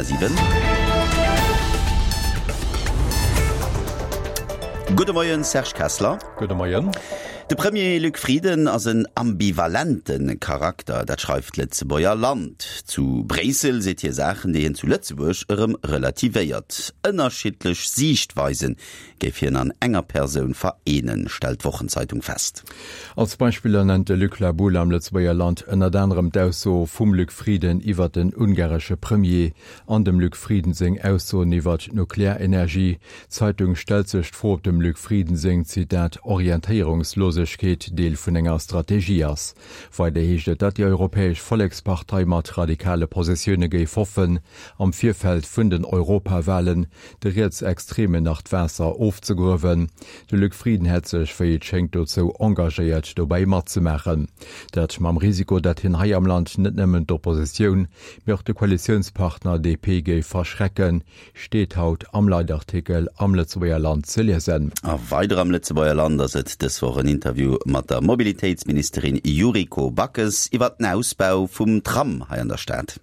7. Gudde Moien, Serge Kessler. Gudde Moien. De Premier Luc Frieden ass en ambivalente Charakter, dat schreift d'Lëtzebuerger Land. Zu Bréissel seet hie Saachen, déi hien zu Lëtzebuerg erëm relativéiert. Ënnerschiddlech Siichtweisen géif hien an enger Persoun vereenen, stellt d'Wochenzeitung fest. Als Beispiller nennt de Luc Laboule am Lëtzebuerger Land ënnert anerem d'Ausso vum Luc Frieden iwwert den ungaresche Premier an dem Luc Frieden seng Aussoen iwwert d'Nuklearenergie. D'Zeitung stellt sech d'Fro, ob dem Luc Frieden seng, Zitat, Orientéierungslosegkeet Deel vun enger Strategie ass. Weider heescht et, datt déi Europäesch Vollekspartei mat radikale Positioune géif hoffen, am Virfeld vun den Europawalen de Rietsextremen nach d'Waasser ofzegruewen. De Luc Frieden hätt sech, wéi et schéngt, dozou engagéiert, dobäi matzemaachen. Dat mam Risiko, datt hien hei am Land net nëmmen d'Oppositioun, mee och de Koalitiounspartner DP géif verschrecken, steet haut am Leitartikel am Lëtzebuerger Land ze liesen. A weider am Lëtzebuerger Land ass et dës Woch en Interview mat der Mobilitéitsministerin Yuriko Backes iwwer den Ausbau vum Tram hei an der Stad.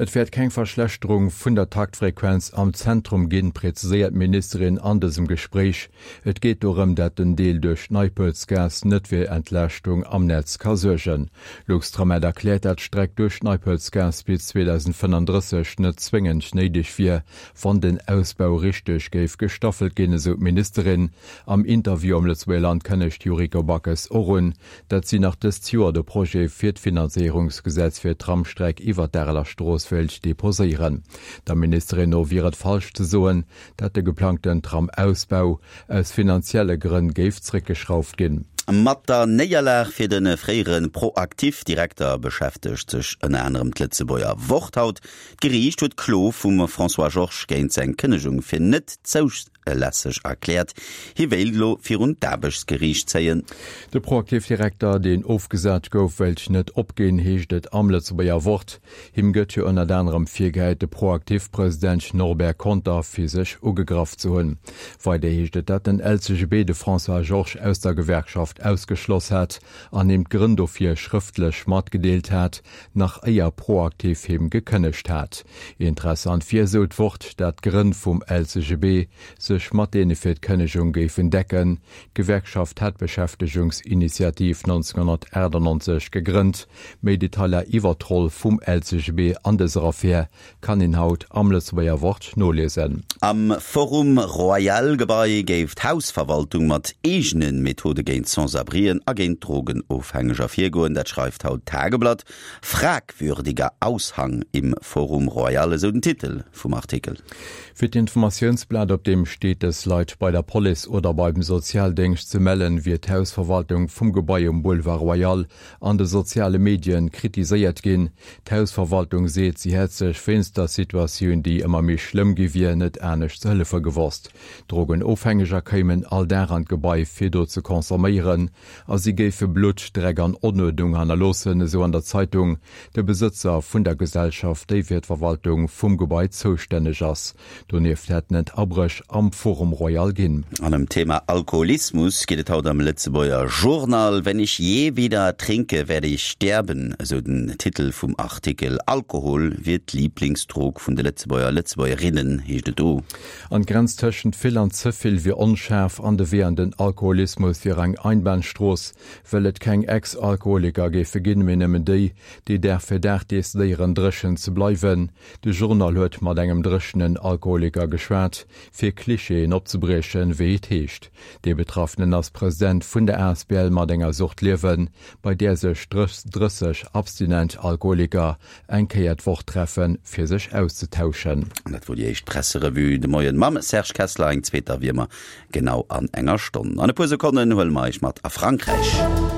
Et wäert keng Verschlechterung vun der Taktfrequenz am Zentrum ginn, präziséiert d'Ministerin an dësem Gespréich. Et geet dorëm, dat den Deel duerch d'Neipelzgaass net fir Entlaaschtung am Netz ka suergen. Luxtram-Med erkläert, dat d'Streck duerch d'Neipelzgaass bis 2035 net zwéngend néideg wier, wann den Ausbau richteg géif gestaffelt ginn, esou d'Ministerin. Am Interview am Lëtzebuerger Land kënnegt d'Yuriko Backes och un, dat si nach dëst Joer de Projet fir d'Finanzéierungsgesetz fir d'Tramstreck iwwer d'Areler Strooss wéilt deposéieren. Der Ministerin no wier et falsch ze soen, dat de geplangten Tram-Ausbau aus finanzielle Grënn géif zréckgeschrauft ginn. Mat der Néierlag fir de fréiere ProActif-Direkter beschäftegt sech ënner anerem d'Lëtzebuerger Wort haut. D'Geriicht huet d'Klo vum François Georges géint seng Kënnegung fir net zoulässeg erkläert. Hie wéilt elo virun d'Aarbechtsgeriicht zéien. De ProActif-Direkter, deen ofgesat gouf, wéilt net opginn, heescht et am Lëtzebuerger Wort. Him gëtt jo ënnert anerem virgehäit, de ProActif-President Norbert Conter physesch ugegraff ze hunn. Weider heescht et, datt den LCGB de François Georges aus der Gewerkschaft ausgeschloss hat an him d'Grënn dofir schrëftlech matgedeelt hat, nach éier ProActif him gekënnegt hat. Interessant wier, esou d'Wort, dat d'Grënn vum LCGB sech mat deene fir d'Kënnegung géifen decken. D'Gewerkschaft hat d'Beschäftegungsinitiativ 1998 gegrënnt. Méi Detailer iwwer d'Roll vum LCGB an dëser Affär kann een haut am Lëtzebuerger Wort noliesen. Am Forum Royal Gebai géif d'Hausverwaltung mat eegene Methode géint Sans-abrien a géint Drogenofhängeger virgoen. Dat schreift haut d'Tageblatt. Fragwürdiger Aushang im Forum Royal, esou den Titel vum Artikel. Fir d'Informatiounsblat, op deem steet, dës Leit bei der Police oder beim Sozialdéngscht ze mellen, wier d'Hausverwaltung vum Gebai um Boulevard Royal an de soziale Medien kritiséiert ginn. D'Hausverwaltung seet, si hätt sech wéinst der Situatioun, déi ëmmer méi schlëmm gi wier, net anescht ze hëllefe gewosst. Drogenofhängeger kéimen all Dag an d'Gebai fir do ze consomméieren a si géife Blutt, Dreck an Onuerdnung hannerloossen, esou an der Zeitung. De Besëtzer vun der Gesellschaft, déi fir d'Verwaltung vum Gebai zoustänneg ass, Donieft hätten et Abréch am Forum Royal ginn. An ëm d'Thema Alkoholismus geet et haut am Lëtzebuerger Journal. Wenn ich je wieder trinke, werde ich sterben, esou den Titel vum Artikel. Alkohol wier d'Liiblingsdrog vun de Lëtzebuerger, Lëtzebuergerinnen, heescht et do. An d'Grenz tëschent vill an ze vill wier onschaarf an de Wee an den Alkoholismus wier eng Einbahnstrooss, well et keng Ex-Alkoholiker géife ginn, mee nëmmen déi, déi Dag fir Dag decidéieren, dréchen ze bleiwen. De Journal huet mat engem dréchenen Alkoholiker geschwat, fir Klischeeën opzebriechen, wéi et heescht. Dee Betraffenen ass President vun der asbl Mat enger Sucht liewen, bei där sech 30 abstinent Alkoholiker eng Kéier d'Woch treffen, fir sech auszetauschen. An dat wor déi éischt Presserevue de Moien mam Serge Kessler. Eng zweet erwier mer genau an enger Stonn. An e puer Sekonnen huele mer Iech mat a Frankräich.